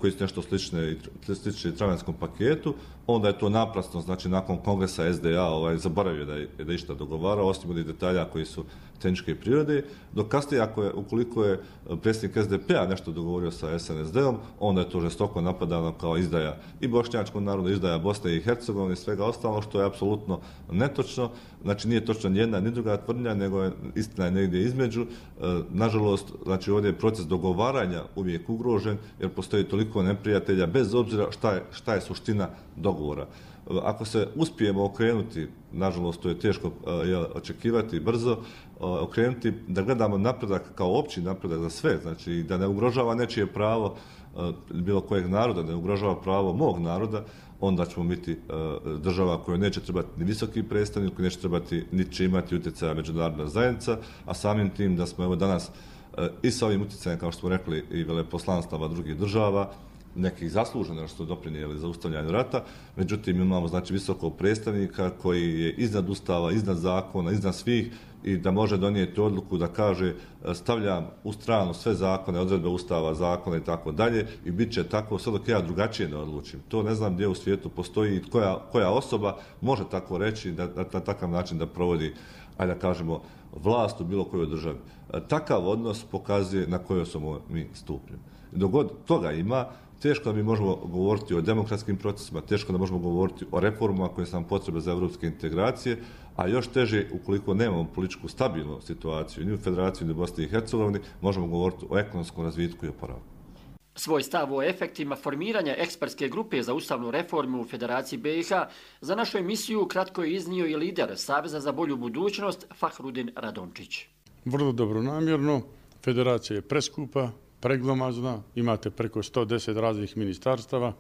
koji su nešto slične, slične travanjskom paketu, onda je to naprasno, znači nakon kongresa es de a ovaj, zaboravio da je, da je išta dogovarao, osim onih detalja koji su tehničke prirode, dok kasnije, ako je, ukoliko je predsjednik es de pe a nešto dogovorio sa es en es de-om, onda je to žestoko napadano kao izdaja i bošnjačkog naroda, izdaja Bosne i Hercegovine i svega ostalo, što je apsolutno netočno. Znači nije točno ni jedna ni druga tvrdnja, nego je istina je negdje između. Nažalost, znači ovdje je proces dogovaranja uvijek ugrožen, jer postoji toliko neprijatelja, bez obzira šta je, šta je suština dogovora. Ako se uspijemo okrenuti, nažalost to je teško je, očekivati brzo, okrenuti da gledamo napredak kao opći napredak za sve, znači da ne ugrožava nečije pravo bilo kojeg naroda, ne ugrožava pravo mog naroda, onda ćemo biti država koja neće trebati ni visoki predstavnik, koja neće trebati ni će imati utjecaja međunarodna zajednica, a samim tim da smo evo danas i sa ovim utjecajem, kao što smo rekli, i veleposlanstava drugih država, nekih zasluženo što su doprinijeli za ustavljanje rata, međutim imamo znači visokog predstavnika koji je iznad ustava, iznad zakona, iznad svih i da može donijeti odluku da kaže stavljam u stranu sve zakone, odredbe ustava, zakona i tako dalje i bit će tako sve dok ja drugačije ne odlučim. To ne znam gdje u svijetu postoji i koja, koja osoba može tako reći da, da na takav način da provodi, ajde da kažemo, vlast u bilo kojoj državi. Takav odnos pokazuje na kojoj smo mi stupnju. Dok god toga ima, teško da mi možemo govoriti o demokratskim procesima, teško da možemo govoriti o reformama koje su nam potrebe za evropske integracije, a još teže, ukoliko nemamo političku stabilnu situaciju ni u Federaciji ni u Bosni i Hercegovini, možemo govoriti o ekonomskom razvitku i oporavku. Svoj stav o efektima formiranja ekspertske grupe za ustavnu reformu u Federaciji be i ha za našu emisiju kratko je iznio i lider Saveza za bolju budućnost Fahrudin Radončić. Vrlo dobronamjerno, federacija je preskupa, preglomazna, imate preko sto deset raznih ministarstava,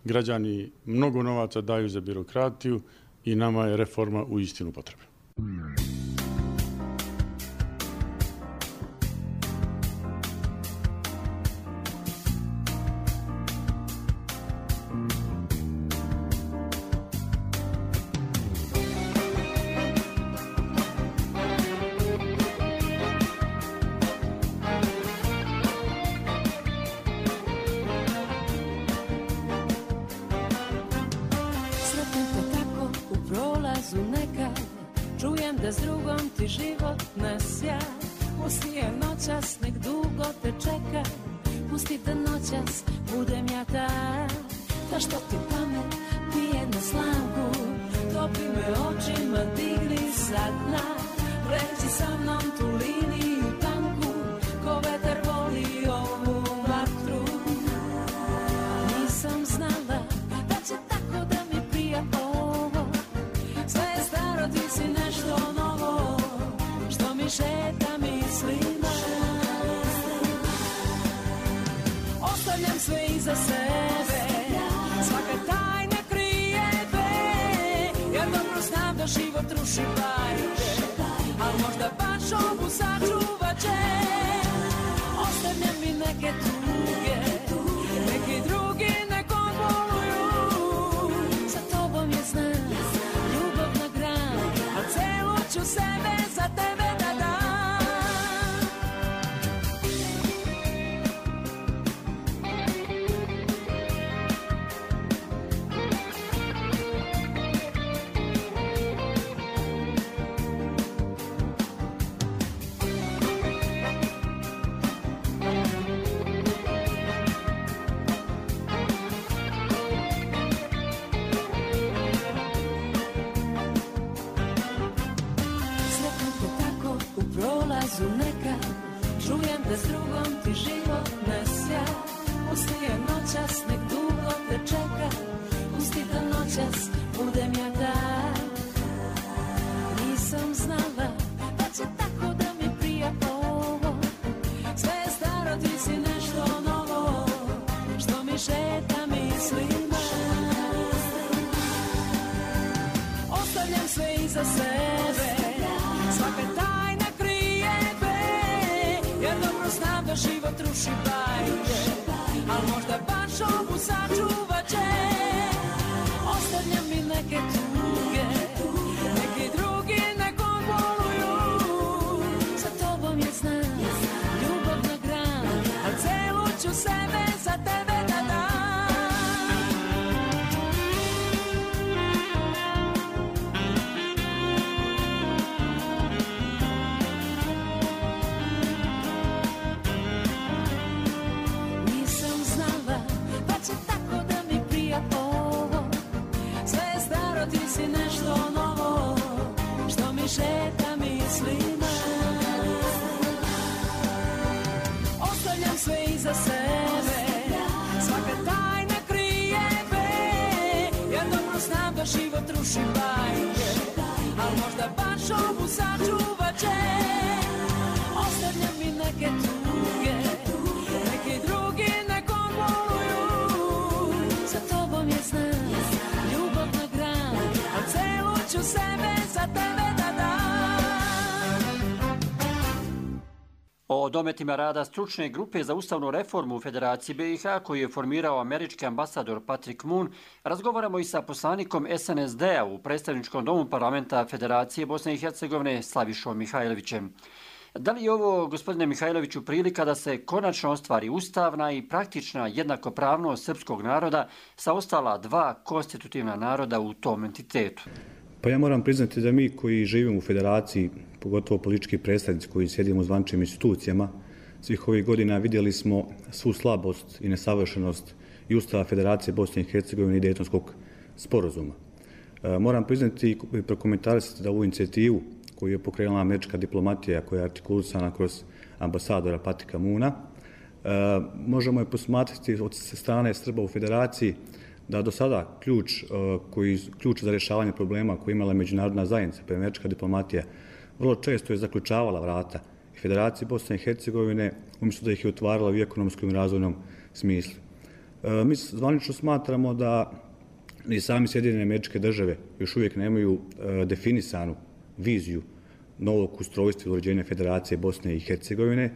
građani mnogo novaca daju za birokratiju i nama je reforma u istinu potrebna. šovu sačuvat će. Ostavlja mi neke tuge, neki drugi nekom voluju. Za tobom je znam, ljubav na gran, a celu ću sebe za tebe da dam. O dometima rada stručne grupe za ustavnu reformu u Federaciji B i H koju je formirao američki ambasador Patrick Moon, razgovaramo i sa poslanikom S N S D-a u predstavničkom domu parlamenta Federacije Bosne i Hercegovine Slavišom Mihajlovićem. Da li je ovo, gospodine Mihajloviću, prilika da se konačno ostvari ustavna i praktična jednakopravnost srpskog naroda sa ostala dva konstitutivna naroda u tom entitetu? Pa ja moram priznati da mi koji živimo u Federaciji, pogotovo politički predstavnici koji sjedimo u zvaničnim institucijama, svih ovih godina vidjeli smo svu slabost i nesavršenost i Ustava Federacije Bosne i Hercegovine i Dejtonskog sporazuma. E, moram priznati i prokomentarisati da ovu inicijativu koju je pokrenula američka diplomatija, koja je artikulisana kroz ambasadora Patricka Moona, e, možemo je posmatrati od strane Srba u Federaciji da do sada ključ, koji, ključ za rješavanje problema koji je imala međunarodna zajednica, pa američka diplomatija, vrlo često je zaključavala vrata i Federaciji Bosne i Hercegovine umjesto da ih je otvarala u ekonomskom i razvojnom smislu. E, mi zvanično smatramo da i sami Sjedinjene Američke Države još uvijek nemaju e, definisanu viziju novog ustrojstva i uređenja Federacije Bosne i Hercegovine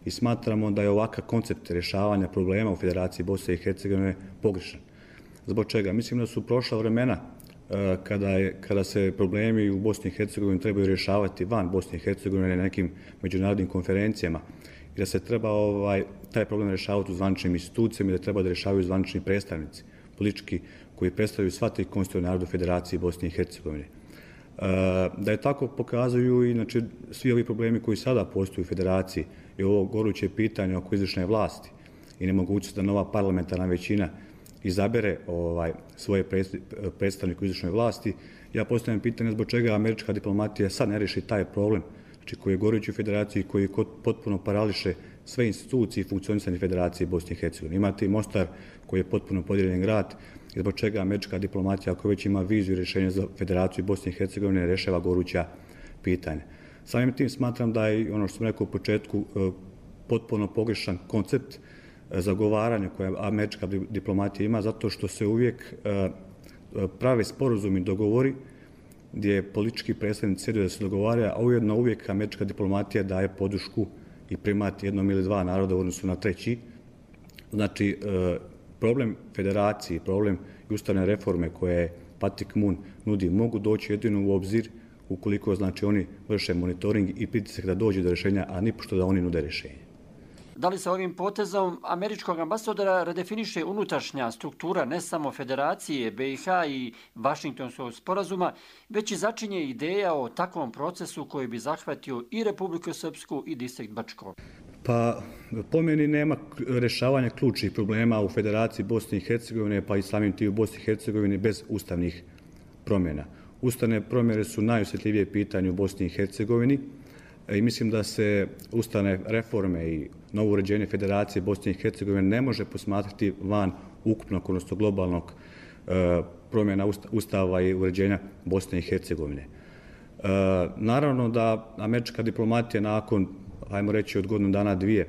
i smatramo da je ovakav koncept rješavanja problema u Federaciji Bosne i Hercegovine pogrešan. Zbog čega? Mislim da su prošla vremena kada, je, kada se problemi u Bosni i Hercegovini trebaju rješavati van Bosne i Hercegovine na nekim međunarodnim konferencijama i da se treba ovaj, taj problem rješavati u zvaničnim institucijama i da treba da rješavaju zvanični predstavnici politički koji predstavljaju sva tri konstitutivna naroda Federacije Bosne i Hercegovine. Da je tako pokazuju i znači, svi ovi problemi koji sada postoju u Federaciji i ovo goruće pitanje oko izvršne vlasti i nemogućnost da nova parlamentarna većina izabere ovaj, svoje predstavnike u izvršnoj vlasti. Ja postavljam pitanje zbog čega američka diplomatija sad ne riješi taj problem, znači koji je gorući u Federaciji, koji potpuno parališe sve institucije i funkcionisanje Federacije Bosne i Hercegovine. Imate i Mostar koji je potpuno podijeljen grad i zbog čega američka diplomatija, ako već ima viziju rješenja za Federaciju Bosne i Hercegovine, rješava goruća pitanja. Samim tim smatram da je ono što sam rekao u početku potpuno pogrešan koncept zagovaranja koje američka diplomatija ima, zato što se uvijek prave sporazumi dogovori gdje politički predstavnici sjede da se dogovara, a ujedno uvijek američka diplomatija daje podršku i primat jednom ili dva naroda u odnosu na treći. Znači, problem federacije, problem i ustavne reforme koje Patrick Moon nudi mogu doći jedino u obzir ukoliko znači, oni vrše monitoring i pritisak da dođe do rješenja, a nipošto da oni nude rješenje. Da li se ovim potezom američkog ambasadora redefiniše unutrašnja struktura ne samo Federacije B i H i Vašingtonskog sporazuma, već i začinje ideja o takvom procesu koji bi zahvatio i Republiku Srpsku i distrikt Bačko? Pa, po meni nema rješavanja ključnih problema u Federaciji Bosne i Hercegovine, pa i samim tim u Bosni i Hercegovini bez ustavnih promjena. Ustavne promjene su najosjetljivije pitanje u Bosni i Hercegovini i mislim da se ustavne reforme i novo uređenje Federacije Bosne i Hercegovine ne može posmatrati van ukupnog, odnosno globalnog e, promjena ustava i uređenja Bosne i Hercegovine. E, naravno da američka diplomatija nakon, ajmo reći, od godinu dana dvije,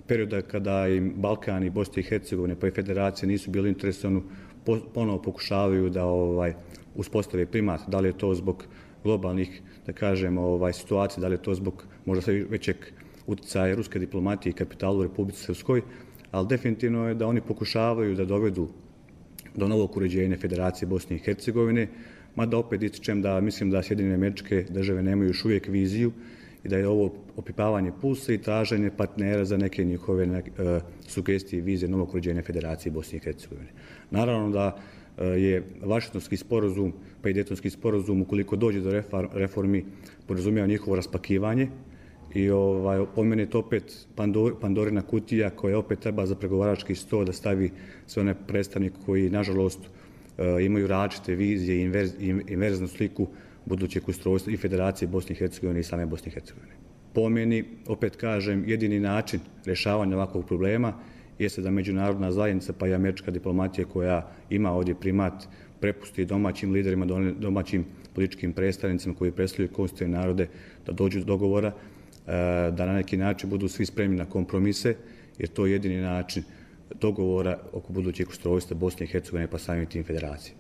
perioda kada im Balkan i Bosne i Hercegovine pa i Federacije nisu bili interesovani, ponovo pokušavaju da ovaj, uspostave primat, da li je to zbog globalnih, da kažem, ovaj, situacija, da li je to zbog možda sve većeg utjecaja ruske diplomatije i kapitala u Republici Srpskoj, ali definitivno je da oni pokušavaju da dovedu do novog uređenja Federacije Bosne i Hercegovine, mada opet ističem da mislim da Sjedinjene Američke Države nemaju još uvijek viziju i da je ovo opipavanje pulsa i traženje partnera za neke njihove ne, uh, sugestije i vizije novog uređenja Federacije Bosne i Hercegovine. Naravno da uh, je Vašingtonski sporazum pa i Dejtonski sporazum, ukoliko dođe do reformi, podrazumijeva njihovo raspakivanje i ovaj, po meni je to opet Pandor, Pandorina kutija koja opet treba za pregovarački sto da stavi sve one predstavnike koji, nažalost, uh, imaju različite vizije i inverz, inverznu sliku budućeg ustrojstva i Federacije Bosne i Hercegovine i same Bosne i Hercegovine. Po meni, opet kažem, jedini način rješavanja ovakvog problema jeste da međunarodna zajednica pa i američka diplomatija koja ima ovdje primat prepusti domaćim liderima, domaćim političkim predstavnicima koji predstavljaju konstitutivne narode da dođu do dogovora, da na neki način budu svi spremni na kompromise, jer to je jedini način dogovora oko budućeg ustrojstva Bosne i Hercegovine pa samim tim federacije.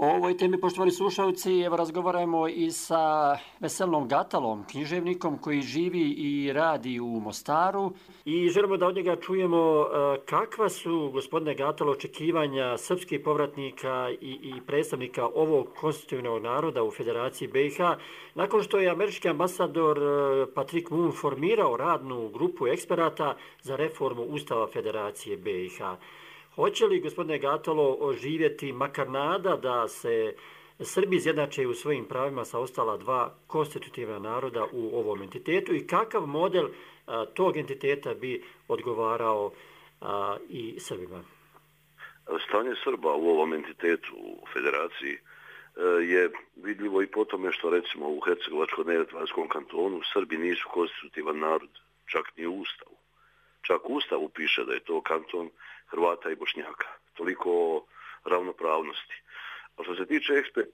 O ovoj temi, poštovani slušalci, evo razgovaramo i sa Veselom Gatalom, književnikom koji živi i radi u Mostaru. I želimo da od njega čujemo kakva su, gospodine Gatalo, očekivanja srpskih povratnika i, i predstavnika ovog konstitutivnog naroda u Federaciji B i H, nakon što je američki ambasador Patrick Moon formirao radnu grupu eksperata za reformu Ustava Federacije B i H. Hoće li, gospodine Gatalo, oživjeti makar nada da se Srbi izjednače u svojim pravima sa ostala dva konstitutivna naroda u ovom entitetu i kakav model a, tog entiteta bi odgovarao a, i Srbima? Stanje Srba u ovom entitetu u Federaciji je vidljivo i po tome što recimo u Hercegovačko-neretvanskom kantonu Srbi nisu konstitutivan narod, čak ni u Ustavu. Čak u Ustavu piše da je to kanton Hrvata i Bošnjaka. Toliko o ravnopravnosti. A što se tiče eksperta,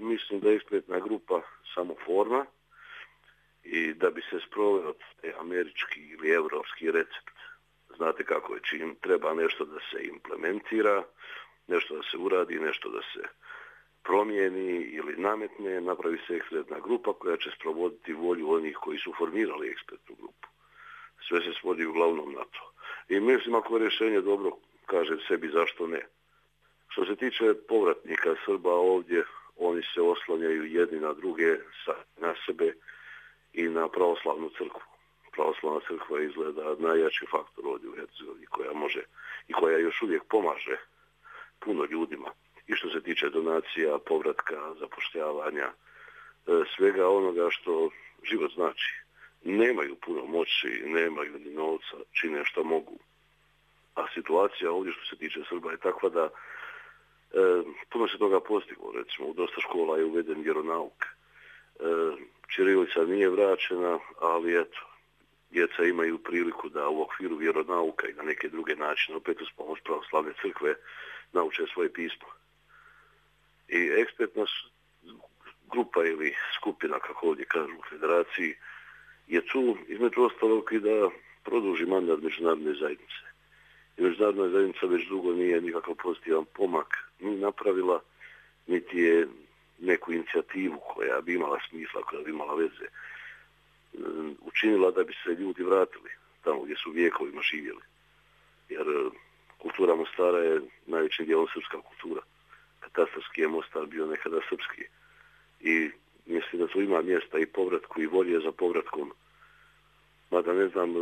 mislim da je ekspertna grupa samo forma i da bi se sproveo američki ili evropski recept. Znate kako je, čim treba nešto da se implementira, nešto da se uradi, nešto da se promijeni ili nametne, napravi se ekspertna grupa koja će sprovoditi volju onih koji su formirali ekspertnu grupu. Sve se svodi uglavnom na to. I mislim ako je rješenje dobro, kažem sebi zašto ne. Što se tiče povratnika Srba ovdje, oni se oslanjaju jedni na druge, na sebe i na pravoslavnu crkvu. Pravoslavna crkva izgleda najjači faktor ovdje u Hercegovini koja može i koja još uvijek pomaže puno ljudima. I što se tiče donacija, povratka, zapošljavanja, svega onoga što život znači. Nemaju puno moći, nemaju ni novca, čine što mogu. A situacija ovdje što se tiče Srba je takva da e, puno se toga postiglo. Recimo, u dosta škola je uveden vjeronauk. E, ćirilica nije vraćena, ali eto, djeca imaju priliku da u okviru vjeronauka i na neke druge načine, opet uz pomoć pravoslavne crkve, nauče svoje pismo. I ekspertna grupa ili skupina, kako ovdje kažu u Federaciji, je tu između ostalog i da produži mandat međunarodne zajednice. I međunarodna zajednica već dugo nije nikakav pozitivan pomak ni napravila, niti je neku inicijativu koja bi imala smisla, koja bi imala veze, učinila da bi se ljudi vratili tamo gdje su vijekovima živjeli. Jer kultura Mostara je najvećim dijelom srpska kultura. Katastarski je Mostar bio nekada srpski. I mislim da tu ima mjesta i povratku i volje za povratkom. Mada ne znam,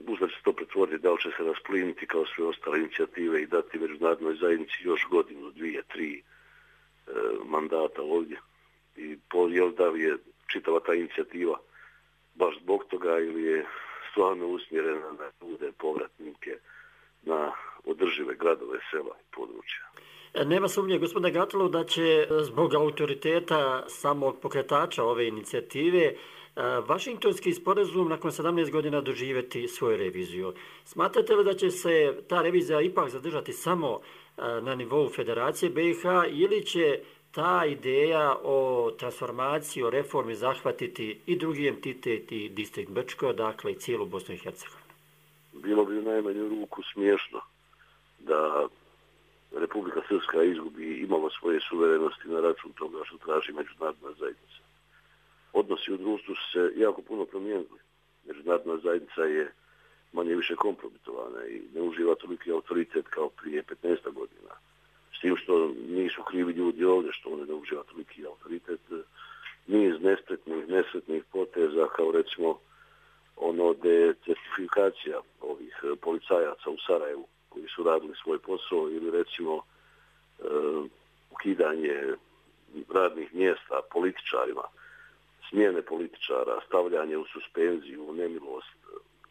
uzda će se to pretvoriti, da li će se raspliniti kao sve ostale inicijative i dati međunarodnoj zajednici još godinu, dvije, tri e, mandata ovdje. I po, jel da li je čitava ta inicijativa baš zbog toga ili je stvarno usmjerena na ljude, povratnike, na održive gradove, sela i područja. Nema sumnje, gospodine Gatalo, da će zbog autoriteta samog pokretača ove inicijative Vašingtonski sporazum nakon sedamnaest godina doživjeti svoju reviziju. Smatrate li da će se ta revizija ipak zadržati samo na nivou Federacije B i H ili će ta ideja o transformaciji, o reformi zahvatiti i drugi entitet i distrikt Brčko, dakle i cijelu Bosnu i Hercegovinu? Bilo bi u najmanju ruku smiješno da Republika Srpska izgubi imala svoje suverenosti na račun toga što traži međunarodna zajednica. Odnosi u društvu su se jako puno promijenili. Međunarodna zajednica je manje više kompromitovana i ne uživa toliki autoritet kao prije petnaest godina. S tim što nisu krivi ljudi ovdje što one ne uživa toliki autoritet. Niz nespretnih, nesretnih poteza kao recimo ono decertifikacija ovih policajaca u Sarajevu koji su radili svoj posao ili recimo e, ukidanje radnih mjesta političarima, smjene političara, stavljanje u suspenziju, u nemilost,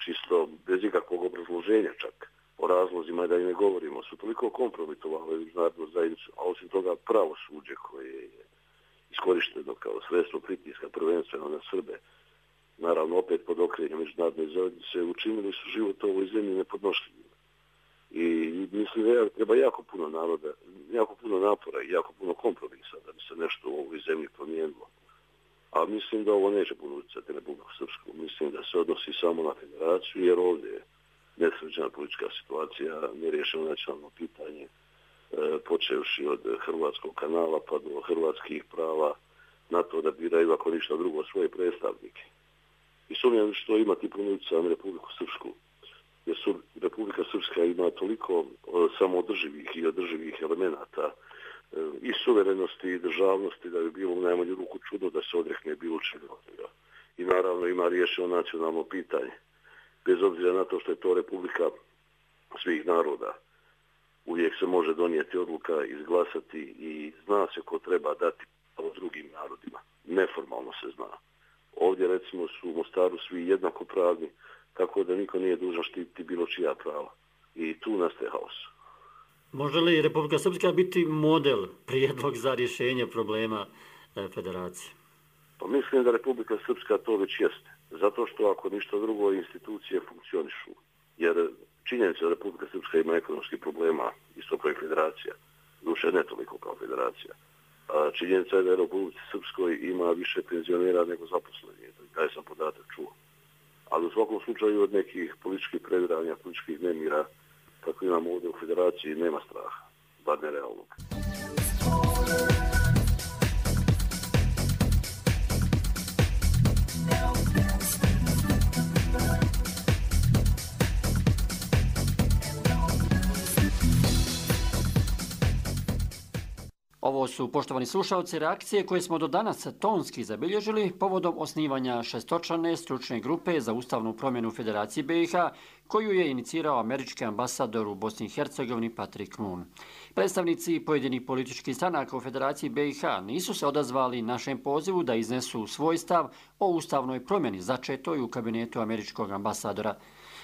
čisto bez ikakvog obrazloženja čak, o razlozima da i ne govorimo, su toliko kompromitovali međunarodnu zajednicu, a osim toga pravosuđe koje je iskorišteno kao sredstvo pritiska prvenstveno na Srbe, naravno opet pod okriljem međunarodne zajednice, učinili su život u ovoj zemlji nepodnošljivim. I mislim da treba jako puno naroda, jako puno napora i jako puno kompromisa da bi se nešto u ovoj zemlji promijenilo. A mislim da ovo neće puno utjecati na Republiku Srpsku. Mislim da se odnosi samo na federaciju, jer ovdje je nesređena politička situacija, neriješeno nacionalno pitanje, e, počevši od hrvatskog kanala pa do hrvatskih prava na to da biraju, ako ništa drugo, svoje predstavnike. I sumnjam što imati puno utjecaja na Republiku Srpsku, jer su Republika Srpska ima toliko samoodrživih i održivih elemenata i suverenosti i državnosti da bi bilo u najmanju ruku čudno da se odrekne bilo čega od toga. I naravno ima riješeno nacionalno pitanje. Bez obzira na to što je to Republika svih naroda, uvijek se može donijeti odluka, izglasati i zna se ko treba dati pravo drugim narodima. Neformalno se zna. Ovdje recimo su u Mostaru svi jednakopravni, tako da niko nije dužan štititi bilo čija prava. I tu nastaje haos. Može li Republika Srpska biti model, prijedlog za rješenje problema e, federacije? Pa mislim da Republika Srpska to već jeste. Zato što ako ništa drugo institucije funkcionišu. Jer činjenica da Republika Srpska ima ekonomskih problema, isto kao i federacija. Duše ne toliko kao federacija. A činjenica je da je Republika Srpskoj ima više penzionera nego zaposlenih. Taj sam podatak čuo. Ali u svakom slučaju od nekih političkih previranja, političkih nemira, kako imamo ovdje u federaciji, nema straha, bar nerealnog. Ovo su, poštovani slušalci, reakcije koje smo do danas tonski zabilježili povodom osnivanja šestočlane stručne grupe za ustavnu promjenu Federacije B i H, koju je inicirao američki ambasador u Bosni i Hercegovini Patrick Moon. Predstavnici pojedinih političkih stranaka u Federaciji B i H nisu se odazvali našem pozivu da iznesu svoj stav o ustavnoj promjeni začetoj u kabinetu američkog ambasadora.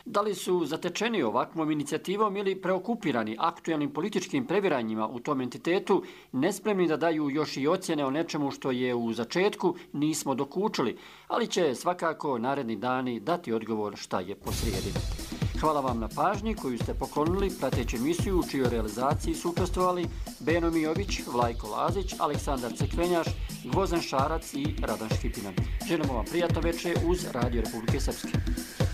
Da li su zatečeni ovakvom inicijativom ili preokupirani aktualnim političkim previranjima u tom entitetu, nespremni da daju još i ocjene o nečemu što je u začetku nismo dokučili, ali će svakako naredni dani dati odgovor šta je posrijedi. Hvala vam na pažnji koju ste poklonili prateći emisiju u čijoj realizaciji su učestvovali Beno Mijović, Vlajko Lazić, Aleksandar Cekvenjaš, Gvozden Šarac i Radan Škipinan. Želimo vam prijatno večer uz Radio Republike Srpske.